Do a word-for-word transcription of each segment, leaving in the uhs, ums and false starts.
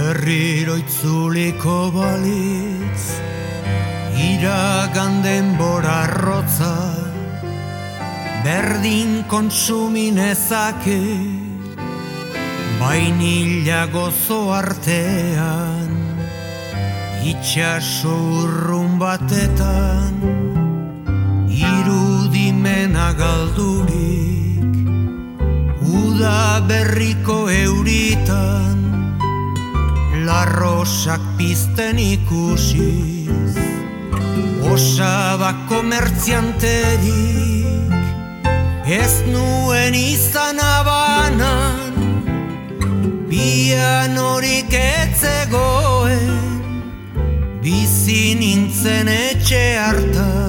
Berriro itzuliko balitz, iragan denbora arrotza, berdin kontsuminezake, bainila gozo artean, itxaso urrun batetan, irudimena galdurik, uda berriko euritan, larrosak pizten ikusiz, osaba komertzianterik, ez nuen izan abanan, pianorik etzegoen, bizi nintzen etxe hartan.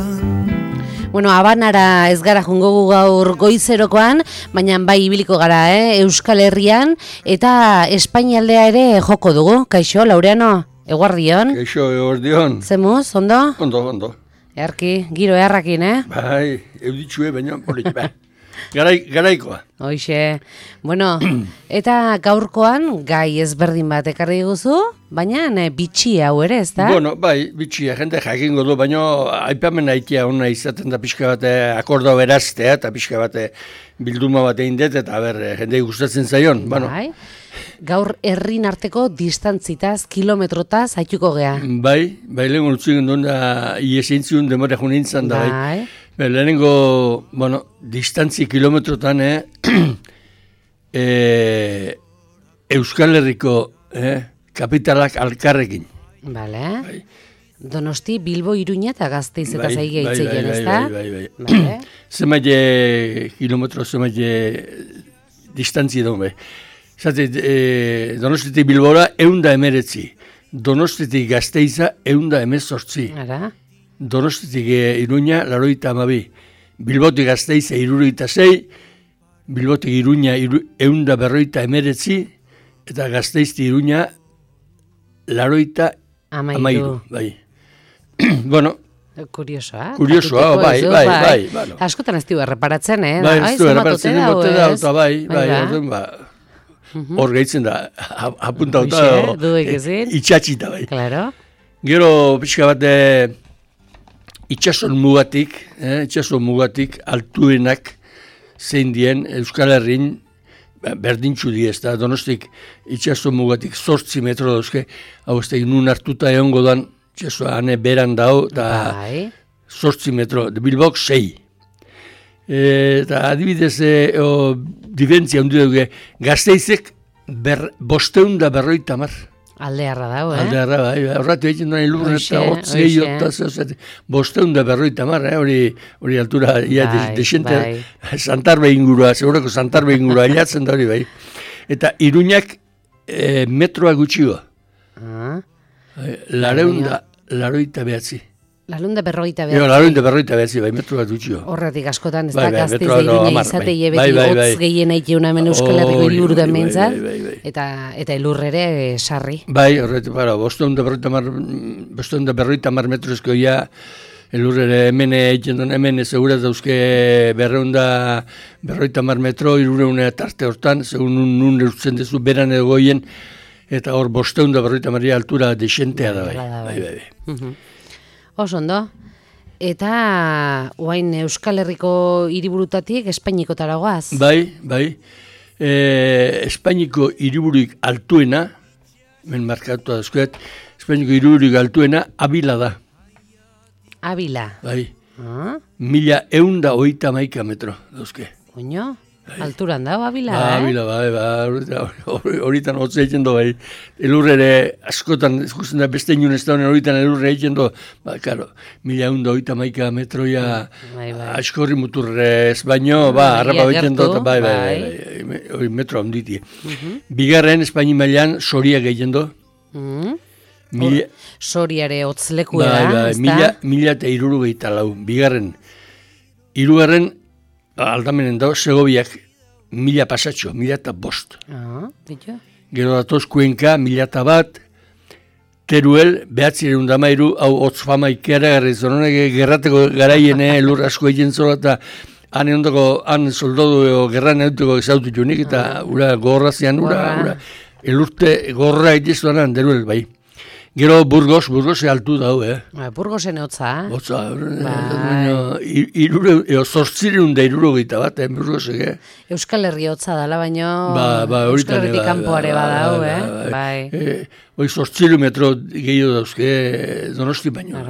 Bueno, Habanara ez gara jungo gaur goizerokoan, baina bai ibiliko gara, eh? Euskal Herrian, eta Espainialdea ere joko dugu. Kaixo, Laureano, eguardion? Kaixo, eguardion. Zemuz, ondo? Ondo, ondo. Earki, giro eharrakin, eh? Bai, euditxue, baina polit, bai. Garai, garaikoa. Hoixe, bueno, eta gaurkoan gai ezberdin bat ekarri guzu, baina ne, bitxi hau ere, ez da? Bueno, bai, bitxia, jende jakingo du, baina aipamen haitia hona izaten da pixka bate akordo beraztea, eta pixka bate bilduma bat egin dut, eta ber, jendei gustatzen zaion. Bueno. Bai, gaur herrin arteko distantzitaz, kilometrotaz haituko gea. Bai, bai, lehen gultzugen duen da, iesintziun demora junintzan da, bai. Bai. Lehenengo, bueno, distantzi kilometrotan, eh, eh, Euskal Herriko eh, kapitalak alkarrekin. Bale. Bai. Donosti, Bilbo, Iruña eta Gasteiz eta zaige bai, hitzeien, bai, ez da? bai, bai, bai. Bale. Zemaile kilometro, zemaile distantzi edo, bai. Zate, eh, Donostitik Bilbora eunda emeretzi, Donostitik Gasteiza eunda emezortzi. Ara? Donostitik Iruña, laroita amabi. Bilbotik Gasteiza, iruroita zei. Bilbotik Iruña, iru, eunda berroita emeretzi. Eta Gazteizti Iruña, laroita amairu. Bai. Bueno. Kuriosoa. Kuriosoa, bai, bai, bai, bai. Bueno. Askotan ez du erreparatzen, eh? Bai, ez du erreparatzen, bote da, eta bai, bai, orduan, ba. Hor gehitzen da, apuntauta, itxatxita, bai. Claro. Gero, pixka bat, itxason mugatik, eh, itxason mugatik altuenak zein dien Euskal Herrin berdintxu di ez da, Donostik itxason mugatik zortzi metro dauzke, hau ez da, nun hartuta egongo dan, itxasoa hane beran dao, eta zortzi metro, Bilbok sei. E, eta adibidez, e, o, diferentzia hundu dugu, Gazteizek ber, bosteun da berroita mar. Aldearra dago, eh? Aldearra, bai, horratu egiten duen lurren eta hotzei, bosteun da berroita mar, eh? hori, hori altura, ia, bai, desente, bai. Santarbe ingurua, segurako Santarbe ingurua, hilatzen da hori, bai. Eta Iruñak e, metroa gutxioa. Ah. Lareunda, laroita behatzi. Larunda berroita behatzi. Larunda berroita behatzi, bai, metroa gutxio. Horretik askotan, ez da, Gasteiz da Iruña izate jebeti hotz gehien aitea una hemen Euskal Herriko hiriburu da mentzat, eta elur ere sarri. Bai, horretik, bara, bosteun da berroita mar, bosteun da berroita mar metrozko ia, elur ere hemen egiten duen, hemen segura dauzke berreunda berroita mar metro, irureunea tarte hortan, segun nun eutzen dezu beran edo goien, eta hor bosteun da berroita maria altura desentea da, bai, bai, bai, bai. Oso ondo. Eta oain Euskal Herriko hiriburutatik Espainiko taragoaz. Bai, bai. E, Espainiko hiriburuik altuena, men markatu dauzkoet, Espainiko hiriburuik altuena Abila da. Abila. Bai. Ah? Mila eunda oita maika metro dauzke. Oino? Alturan da, Abila, ba, eh? Abila, bai, bai, horitan hotza egiten do, bai. Elurre ere, askotan, ikusten da, beste inun ez da honen horitan elurre egiten do, ba, karo, mila eunda oita maika metroia bai, bai. Askorri muturrez, baino, ba, harrapa egiten do, bai, bai, bai, bai, hori metro handiti. Uh-huh. Bigarren, Espaini mailan, Soria egiten do. Uh-huh. Mila... Soriare hotzleku da, bai, bai, mila, mila eta iruru gehieta lau. Bigarren, irugarren, aldamenen dago, Segobiak mila pasatxo, mila eta bost. Ah, ditu. Gero datoz Kuenka, mila eta bat, Teruel, behatzireun damairu, hau hotz fama ikera garri, zononek gerrateko garaien elur asko egin zola, eta han ondoko, han soldadu gerran eduteko ezautu junik, eta ura gogorrazian, ura, ura, elurte gorra itizuanan deruel, bai. Gero Burgos, Burgos altu dau, eh? Ba, Burgosen hotza. Hotza, irure, eo zortzireun da iruro gita bat, eh, Burgosek, eh? Euskal Herri hotza dala, baino ba, ba, Euskal Herritik kanpoare badau, eh? Bai. Eh, Hoi zortzireun metro gehiago dauzke, Donosti baino.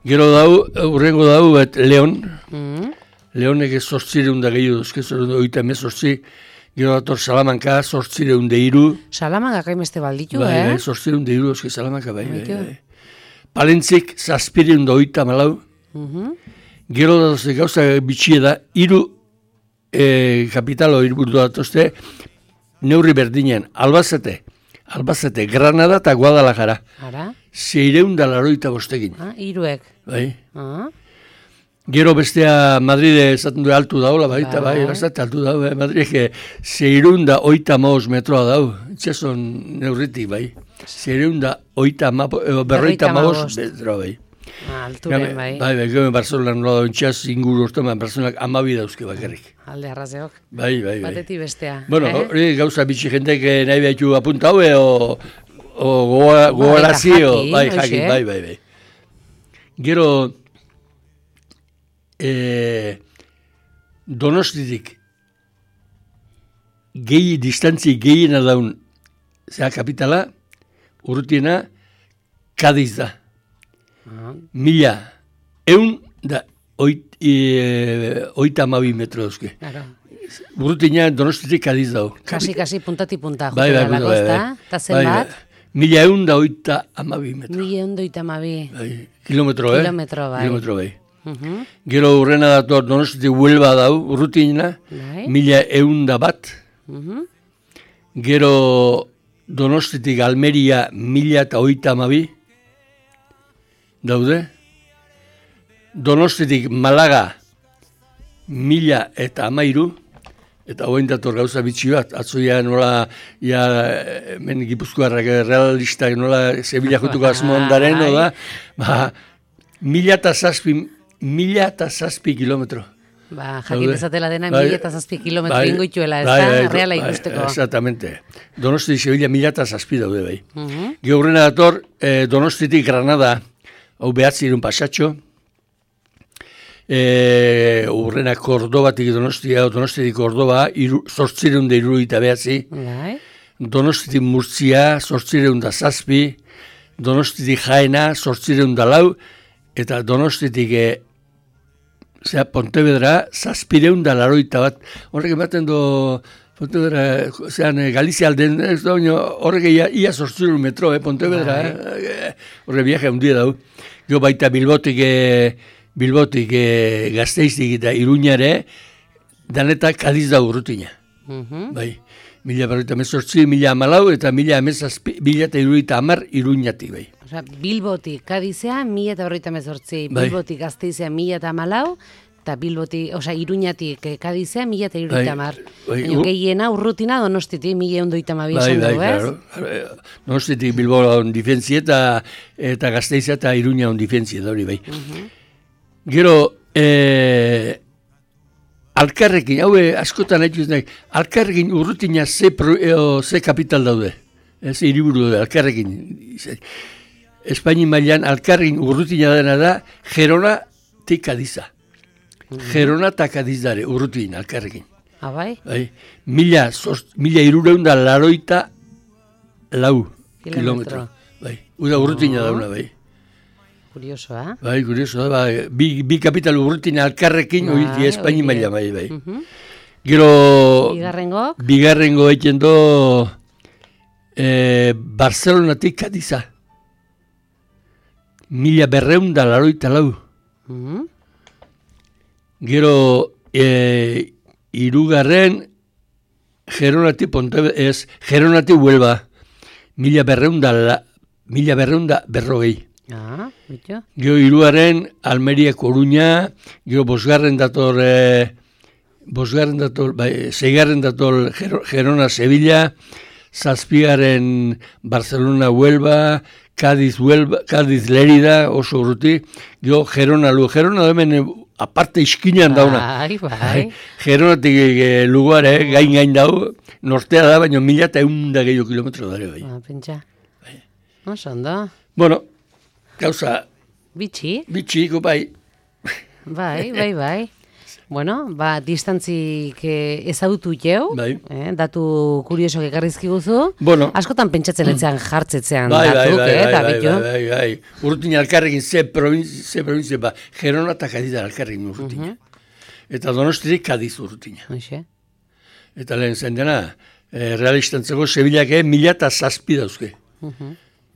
Gero dau, urrengo dau, et Leon. Mm. Leonek ez zortzireun da gehiago dauzke, oita emez zortzi. Gero dator Salamanka, zortzireun da iru. Salamanka gaimeste balditu, bai, eh? Bai, zortzireun da iru, oski Salamanka, bai, bai, bai. Palentzik, zazpireun da oita malau. Uh-huh. Gero datozte gauza bitxie da, iru e, kapitalo irburdu datozte, neurri berdinean, Albazete, Albazete, Granada eta Guadalajara. Ara? Zeireun da laroita bostekin. Ah, iruek. Bai. Ah. Gero bestea Madride esaten du altu daula, baita, bai, bai bastate altu dau, eh? Madridek zeireun da oita maoz metroa dau, itxason neurritik, bai. Zeireun da oita ma, berroita maoz metroa, bai. Ah, alturen, bai. Bai, bai, gero Barcelona nola da intxaz inguru ortoman, Barcelonak amabi dauzke bakarrik. Alde arrazeok. Bai, bai, bai. Bateti bestea. Bueno, eh? hori gauza bitxi jentek nahi behitu apunta haue, o, o gogorazio, bai, jakin, bai, bai, bai. Gero, E, Donostitik gehi distantzi gehiena daun zea kapitala, urrutiena Kadiz da. Uh-huh. Mila eun da oit, e, oita amabi metro dauzke. Claro. Urrutina Donostitik Kadiz dau. Kasi, kasi, puntati punta. Bai, bai, bai, bai. Eta zen bat? Mila eun da oita amabi metro. Mila eun da oita amabi. Bai, kilometro, eh? Kilometro, bai. Kilometro, bai. Uh-huh. Gero urrena dator Donostitik Huelva dau, urrutina, bai. Mila eun da bat. Uh-huh. Gero Donostitik Almeria mila eta oita amabi. Daude. Donostitik Malaga mila eta amairu. Eta hoen dator gauza bitxi bat. Atzoia nola, ja, men Gipuzkoarrak realistak nola Sevilla jutuko asmo ondaren, da. Ba, mila eta zazpi Mila eta zazpi kilometro. Ba, jakin ezatela dena, bai, mila eta zazpi kilometro bai, ingoituela, ez bai, da, bai, reala ikusteko. Bai, exactamente. Donosti Sevilla mila eta zazpi daude bai. Uh-huh. Geurrena dator, eh, Donostitik Granada, hau behatzi irun pasatxo. Eh, urrena Kordobatik Donostia, Donostitik Kordoba, zortzireun da iruruita behatzi. Bai. Donostitik Murtzia, zortzireun da zazpi. Donostitik Jaena, zortzireun da lau. Eta Donostitik e, zera, Pontevedra, zazpireun da laroita bat. Horrek ematen do, Pontevedra, zean, Galizia alden, ez da, horrek ia, ia zortzireun metro, eh, Pontevedra, eh, horrek viaje handia dau. Jo baita Bilbotik, e, Bilbotik e, Gasteiztik eta Iruñare, danetak Kadiz da urrutina. Uh-huh. Bai, mila berroita mezortzi, mila amalau, eta mila amezazpi, mila eta iruita amar Iruñatik, bai. Osa, Bilbotik Kadizea, mila eta berroita mezortzi, bai. Bilbotik Gasteizea, mila eta amalau, eta Bilbotik, osa, Iruñatik Kadizea, mila eta iruita amar. Bai, bai, gehiena urrutina Donostitik, mila ondoita amabi esan dugu, ez? Claro. Donostitik Bilbo on difentzi eta, eta Gasteizea eta Iruña on difentzi, da hori, bai. Uh-huh. Gero, eh, alkarrekin, hau askotan haituz nahi, alkarrekin urrutina ze, pro, eo, ze kapital daude, ez hiriburu daude, alkarrekin. Espaini mailan alkarrekin urrutina dena da, Gerona eta Kadiza. Mm-hmm. Gerona eta Kadiz dare, urrutina alkarrekin. Ah, bai? Bai, mila, mila irureun da laroita lau kilometro. Bai, uda urrutina oh. dauna, bai. Kurioso, eh? Bai, kurioso, bai. Bi, bi kapital urrutina alkarrekin, bai, hori Espaini maila, bai, bai. Uh-huh. Gero... Bigarrengo? Bigarrengo egiten do... Eh, Barcelonatik Kadiza. Mila berreun da laroita lau. Uh-huh. Gero... Eh, irugarren... Geronatik Pontevedra... Ez, Geronatik Huelva. Mila berreun da... La, mila berreun da berrogei. Ah, bitu. Gero hiruaren Almeria Coruña, gero bosgarren dator, eh, bosgarren dator, bai, seigarren dator Gerona Sevilla, zazpigaren Barcelona Huelva, Cádiz Huelva, Cádiz Lerida, oso urruti, gero Gerona Lu, Gerona hemen aparte iskinean dauna. Bai, bai. Geronatik e, luguare, gain-gain dau, nortea da, baina mila eta egun da gehiago kilometro dara, bai. Ah, pentsa. Oso ondo. Bueno, gauza, Bitxi. bitxiko, bai. Bai, bai, bai. Bueno, ba, distantzik eh, ezagutu jau, Bai. eh, datu kuriosok ekarrizki guzu. Bueno. Askotan pentsatzen etzean jartzetzean Bai, bai, datuk, bai, eh, bai, eta bai, bitu. bai, bai, bai. Urrutina alkarrekin ze provintzia, ze provintzia, ba, Gerona eta Kadida alkarrekin urrutina. Eta Donostirik Kadiz urrutina. Hoxe. Eta lehen zen dena, eh, realistantzeko Sevillak eh, mila eta zazpi dauzke.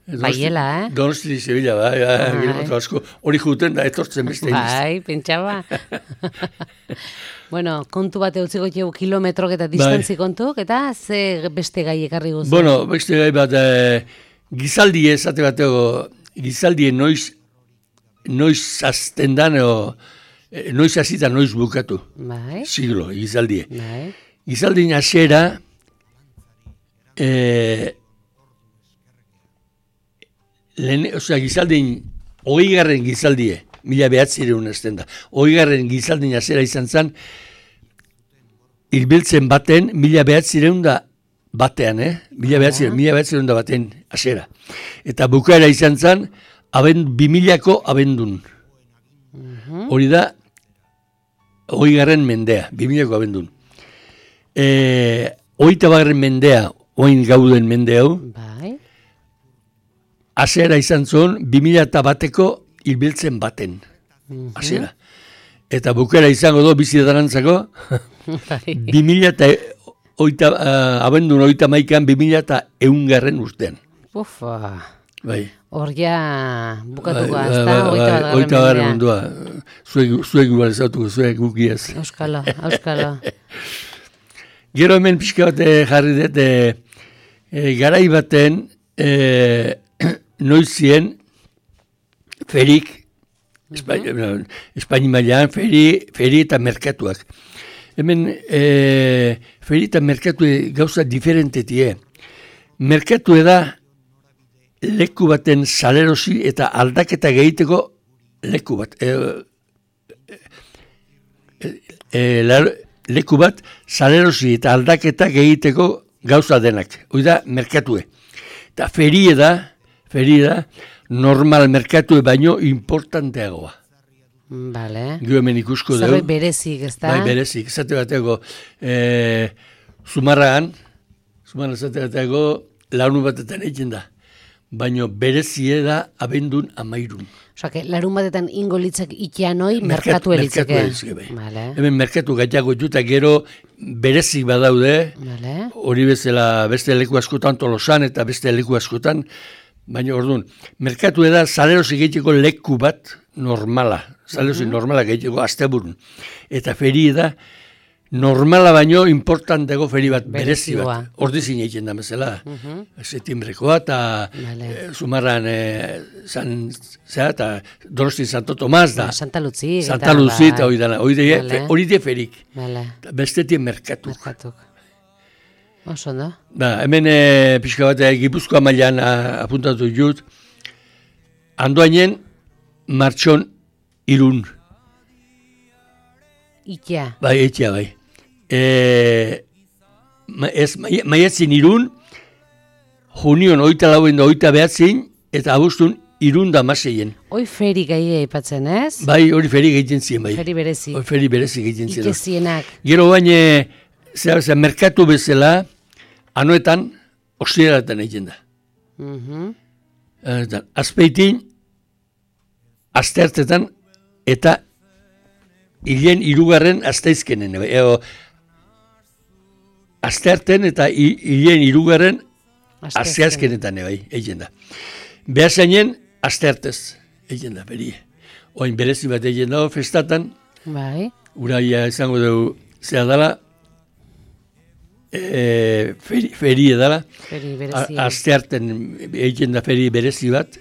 Baiela, eh? Donosti Sevilla, bai, bai, kilometro asko. Hori juten da, etortzen beste. Bai, pentsaba. Bueno, kontu bat eutziko jau kilometrok eta distantzi kontuk, eta ze beste gai ekarri guzu? Bueno, beste gai bat, eh, gizaldi esate bateko, gizaldi noiz, noiz azten dan, o, eh, noiz azita noiz bukatu. Bai, Siglo, gizaldie. bai. Gizaldin hasiera, eh, lehen, osea, gizaldin, hogei garren gizaldie, mila behatzireun azten da, hogei garren gizaldin hasiera izan zen, hilbiltzen baten, mila behatzireun da batean, eh? Mila behatzireun, mila behatzireun da baten hasiera. Eta bukaera izan zen, abend, bimilako abendun. Hori da, hogei garren mendea, bimilako abendun. E, Hogeita bagarren mendea, oin gauden mende hau, Bai. hasiera izan zuen, bi mila eta bateko hilbiltzen baten. Hasiera. Eta bukera izango do, bizi darantzako, Bai. bi mila eta oita, uh, abendun oita maikan, bi mila eta eungarren urtean. Ufa. Bai. Hor ja bukatuko Bai, azta, bai, hogeita bai, bat hogeita garren garren mendea. mundua. Zuek, zuek igual ezautuko, zuek gukiaz. Euskalo, euskalo. Gero hemen pixka bat eh, jarri dut, eh, eh, garai baten, eh, noizien, ferik, Espaini, Espaini mailan, feri, feri eta merkatuak. Hemen, eh, feri eta merkatu gauza diferentetie. Merkatu da, leku baten salerosi eta aldaketa gehiteko leku bat. E, e, e, la, leku bat salerosi eta aldaketa gehiteko gauza denak. Hoi da, merkatue. Eta ferie da, ferie da, normal merkatue baino importanteagoa. Vale. Gio hemen ikusko dugu. Zerbait berezik, ez da? Bai, berezik. Zate bateko, e, Zumarragan, Zumarragan zate bateko, launu batetan egin da. Baino berezie da abendun amairun. Osa, que larun batetan ingo litzak ikean hoi, merkatu elitzake. Merkatu elitzake, bai. Vale. Hemen merkatu gaiago juta gero berezik badaude, Vale. hori bezala beste leku askotan Tolosan eta beste leku askotan, baina orduan, merkatu da salerosi gehiago leku bat normala, salerosi normala gehiago asteburun. Eta feri da, normala baino importantego feri bat, berezi Berezioa. bat. Ordizin egiten da bezala. Setimbrekoa eta Vale. eh, Zumarran eh, San, zera, eta Donosti Santo Tomas da. Santa Luzi. Santa Luzi eta hori dana. Hori de, Vale. hori de ferik. Vale. Bestetik merkatu. Merkatuk. Oso da. Da, hemen e, pixka bat, e, Gipuzkoa mailan a- apuntatu jut, andoainen martxon irun, Ikea. bai, etxea bai. E, ma, ez, mai- maiatzin irun, junion oita lauen da oita behatzin, eta abustun irun da maseien. Hoi feri gai aipatzen, ez? Bai, hori feri egiten zien bai. Feri berezi. Hori feri berezi egiten zien. Ikezienak. Gero baina, zera, zera, merkatu bezala, anoetan, ostiraletan egiten da. Mhm. Eta, azpeitin, asteartetan, eta hilen hirugarren asteizkenen. Ego, astearten eta hi- hilen hirugarren asteazkenetan bai, egiten da. Behazainen, asteartez, egiten da, beri. Oin berezi bat egiten da, festatan, Bai. uraia izango dugu, zera dala, e, feri, feri edala, Feri A- berezi. astearten egiten da feri berezi bat,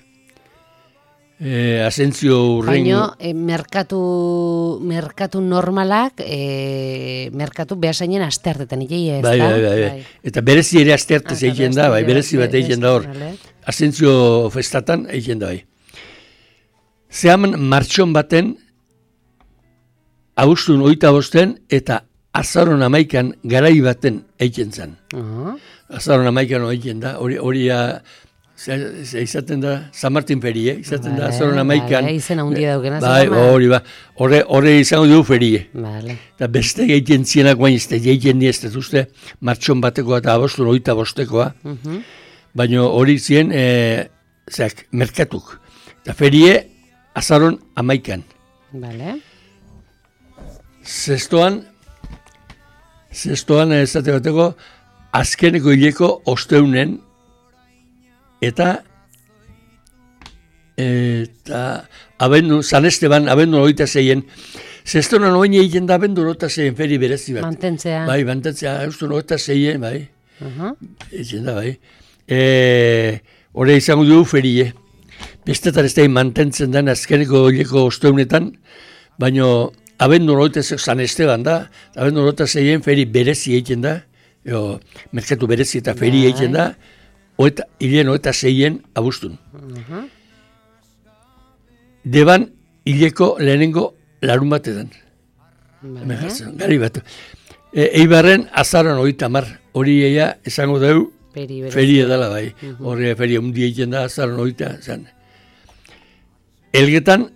e, asentzio urren... Baina, e, merkatu, merkatu normalak, e, merkatu behasainen asteartetan ikei ez Bai, da? bai, bai, bai. Eta berezi ere asteartez Ah, egiten da, bai, berezi bat egiten da hor. Vale. Asentzio festatan egiten da, bai. Zehaman martxon baten, abuztun oita bosten eta azaron amaikan garai baten eiken zen. Uh-huh. Azaron amaikan eiken da, hori hori izaten da, San Martin ferie, izaten vale, da, azaron amaikan. Vale, izena hundia daukena. Bai, hori ba, horre, horre izango dugu ferie. Vale. Eta beste egiten zienak guain izte, egiten diezte, uste, martxon batekoa eta abostun oita bostekoa. Uh-huh. Baina hori zien, e, zeak, merkatuk. Eta ferie, azaron amaikan. Vale. Zestoan, zestoan ezate bateko, azkeneko hileko osteunen, eta eta abendu, San Esteban, abendu hogeita zeien, zestoan oin egiten da abendu hogeita zeien feri berezi bat. Mantentzea. Bai, mantentzea, eustu hogeita zeien, bai. Uh-huh. Egiten da, bai. E, Hore izango dugu ferie. Bestetan ez da mantentzen den azkeneko hileko osteunetan, baina abendu hogeita zeien, San Esteban da, abendu hogeita zeien feri berezi egiten da, jo, merkatu berezi eta feri egiten da, Oeta, hilen oeta zeien abuztun. Uh-huh. Deban hileko lehenengo larun batetan. Vale. Gari bat. E, eibarren azaron oita mar. Hori eia esango dugu feri edala bai. Uh-huh. Horre feri hundi egiten da azaron oita. Zan. Elgetan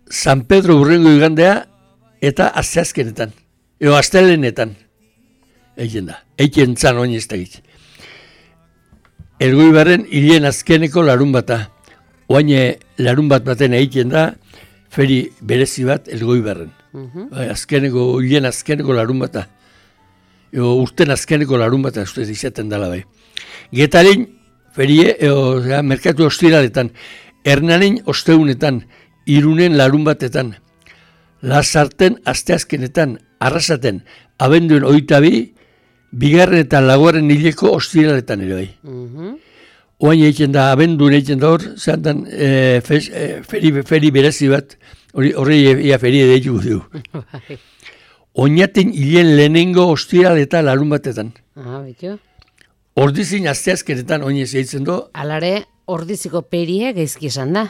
San Pedro urrengo igandea eta asteazkenetan. Eo astelenetan. Egiten da. Egiten zan oin ez da egiten. Elgoibarren hilen azkeneko larun bata. Oaine larun bat baten egiten da, feri berezi bat Elgoibarren. Uh-huh. Bai, azkeneko, hilen azkeneko larun bata. Eo, urten azkeneko larun bata, ustez izaten dela bai. Getaren, ferie, eo, ja, merkatu ostiraletan, Hernanen osteunetan, Irunen larun batetan, Lasarten asteazkenetan, Arrasaten, abenduen oita bi, bigarren eta laugarren hileko ostiraletan ere bai. Uh-huh. Oain egiten da, abendun egiten da hor, zantan e, fes, e, feri, feri berezi bat, horre ia feri edaitu dugu. Oinaten hilen lehenengo ostiral eta larun batetan. Ah, betu. Ordizin asteazkenetan oinez egiten du. Alare, ordiziko perie gaizki esan da.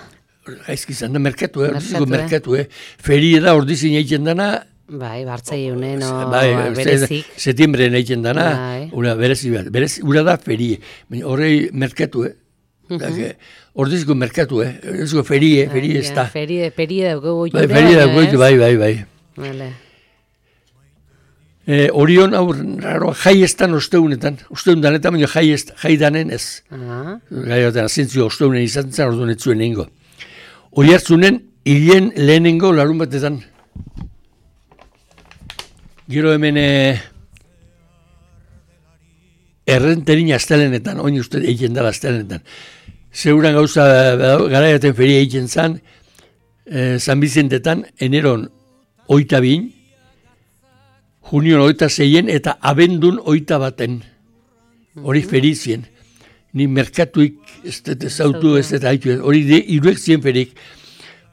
Gaizki esan da, merkatu, eh? Ordiziko merkatu, eh? Feri da ordizin egiten dana, bai, bartzai unen, o bai, berezik. Setiembren egiten dana, bai. Una berezi bat. Berezi, ura da ferie. Horrei merkatu, eh? Uh-huh. Ordiziko merkatu, eh? Ordiziko ferie, ferie ez da. Ferie, ferie dago goitu. Bai, ferie dago goitu, bai, bai, bai. Vale. Eh, Orion, aur, raro, jai estan osteunetan. Osteun danetan, baina jai, est, jai danen ez. Uh-huh. Gai batean, azentzio osteunen izan zen, orduan ez zuen egingo. Hori hartzunen, hilen lehenengo larun batetan. Gero hemen eh, errenterin astelenetan, oin uste egiten dela astelenetan. Zeuran gauza garaiaten feria egiten zan, eh, San Bizentetan, eneron oita bin, junion oita zeien eta abendun oita baten. Hori ferizien. Ni merkatuik ez dut ezautu ez dut haitu. Hori iruek zien ferik.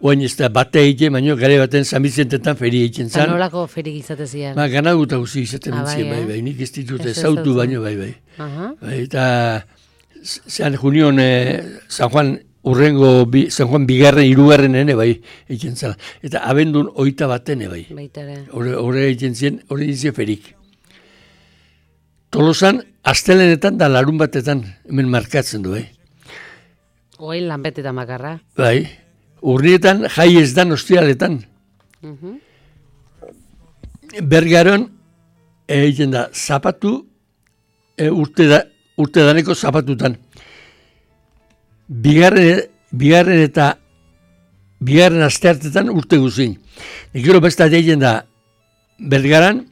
Oain ez da bate egiten, baina gare baten San Bizentetan feri egiten zan. Zanolako ferik izatezian? Ba, gana guta guzi izaten ah, entzien, bai, bai, bai, nik ez ditut ezautu baino, bai, bai. Uh-huh. Bai, eta zean junion eh, San Juan urrengo, bi, San Juan bigarren, hirugarren ene, bai, egiten zala. Eta abendun oita batene, bai. Baitare. Hore egiten zien, hori ditzen ferik. Tolosan, astelenetan da larun batetan, hemen markatzen du, bai. Oain lanbetetan makarra. Bai. Urnietan jai ez dan ostialetan. Uh-huh. Bergaron egiten da zapatu e, urte, da, urte daneko zapatutan. Bigarren, bigarren eta bigarren asteartetan urte guzin. Gero besta egiten da Bergaran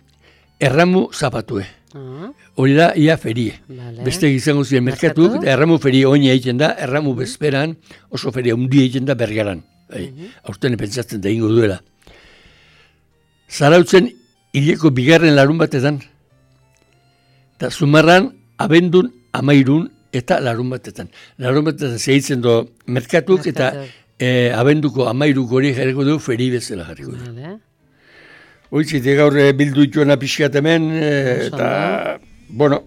erramu zapatue. Uh-huh. Hori da ia ferie. Vale. Beste izango ziren merkatuk, eta erramu ferie oina egiten da, erramu bezperan oso ferie hundi egiten da Bergaran. Bai, uh-huh. Aurten pentsatzen da ingo duela. Zarautzen hileko bigarren larun batetan, eta Zumarran abendun amairun eta larun batetan. Larun batetan zehitzen do merkatuk, eta e, abenduko amairuko hori jarriko du feri bezala jarriko du. Vale. Hoitzite gaur bildu ituena pixkat hemen, e, eta, bueno,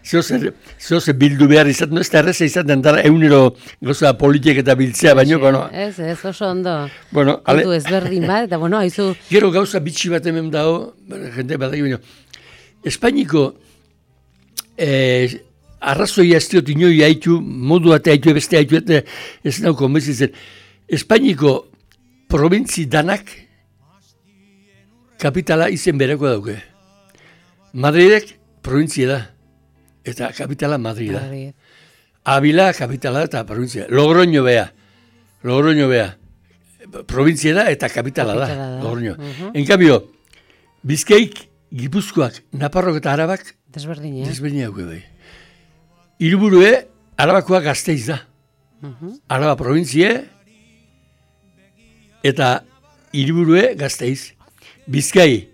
Zehoz bildu behar izaten, ez da erreza izaten, dara eunero goza politik eta biltzea, baino, bueno. Ez, ez, oso ondo. Bueno, kontu ezberdin bat, eta bueno, haizu... Gero gauza bitxi bat hemen dago, jente bat egin, Espainiko eh, arrazoia ez diot inoi haitu, modu bat haitu, beste haitu, eta ez nauko mezitzen. Espainiko probintzi danak kapitala izen bereko dauke. Madridek provintzia da. Eta kapitala Madrid da. Avila kapitala eta provintzia. Logroño bea. Logroño bea. Provintzia da eta kapitala, kapitala da. Logroño. Uh-huh. En cambio, Bizkaik, Gipuzkoak, Naparrok eta Arabak desberdin, eh? Desberdin hauke bai. Hiriburue, Arabakoak Gasteiz da. Uh-huh. Araba provintzia eta hiriburue Gasteiz. Bizkai,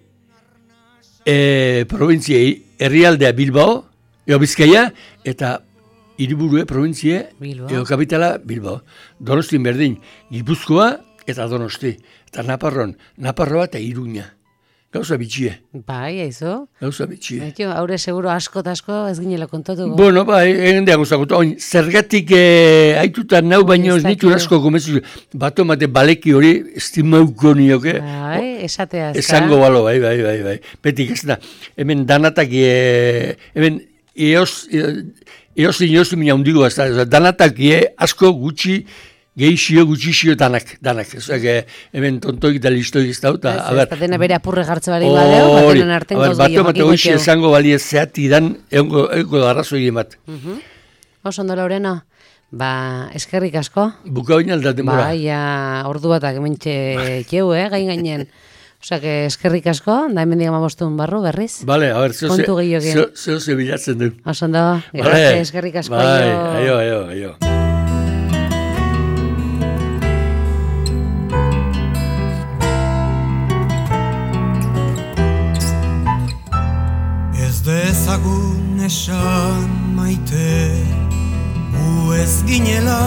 e, provintzia herrialdea Bilbao, eo Bizkaia, eta hiriburue provintzia, eo kapitala Bilbao. Donostin berdin, Gipuzkoa eta Donosti. Eta Naparron, Naparroa eta Iruña. Gauza bitxie. Bai, aizu. Gauza bitxie. Baito, haure seguro asko eta asko ez ginela kontatuko. Bueno, bai, egin deago zakutu. Zergatik eh, haitutan nau baino ez nitu asko gomezu. Bato mate baleki hori estimauko nioke. Bai, esatea. Esango balo, bai, bai, bai, bai. Betik ez da, hemen danatak, e, hemen eos, eos inoz mina hundigo ez da, danatak e, asko gutxi, gehixio, gutxixio danak, danak. Ezak, hemen tontoik da listoik ez da. Ez da dena bere apurre jartze bari badeo, batenan arten gauz gehiago. Bato hoxe esango bali ez zeati dan, egongo arrazo egin bat. Oso ondo, Laureno, ba, eskerrik asko. Buka oin aldaten mora. Ba, ja, ordu batak hementxe txeu, eh, gain gainen. Osak, eskerrik asko, da hemen digama bostun barru, berriz. Bale, a ber, zeo ze bilatzen du. Oso ondo, eskerrik asko. Bai, aio, aio, aio. Dezagun esan maite, gu ez ginela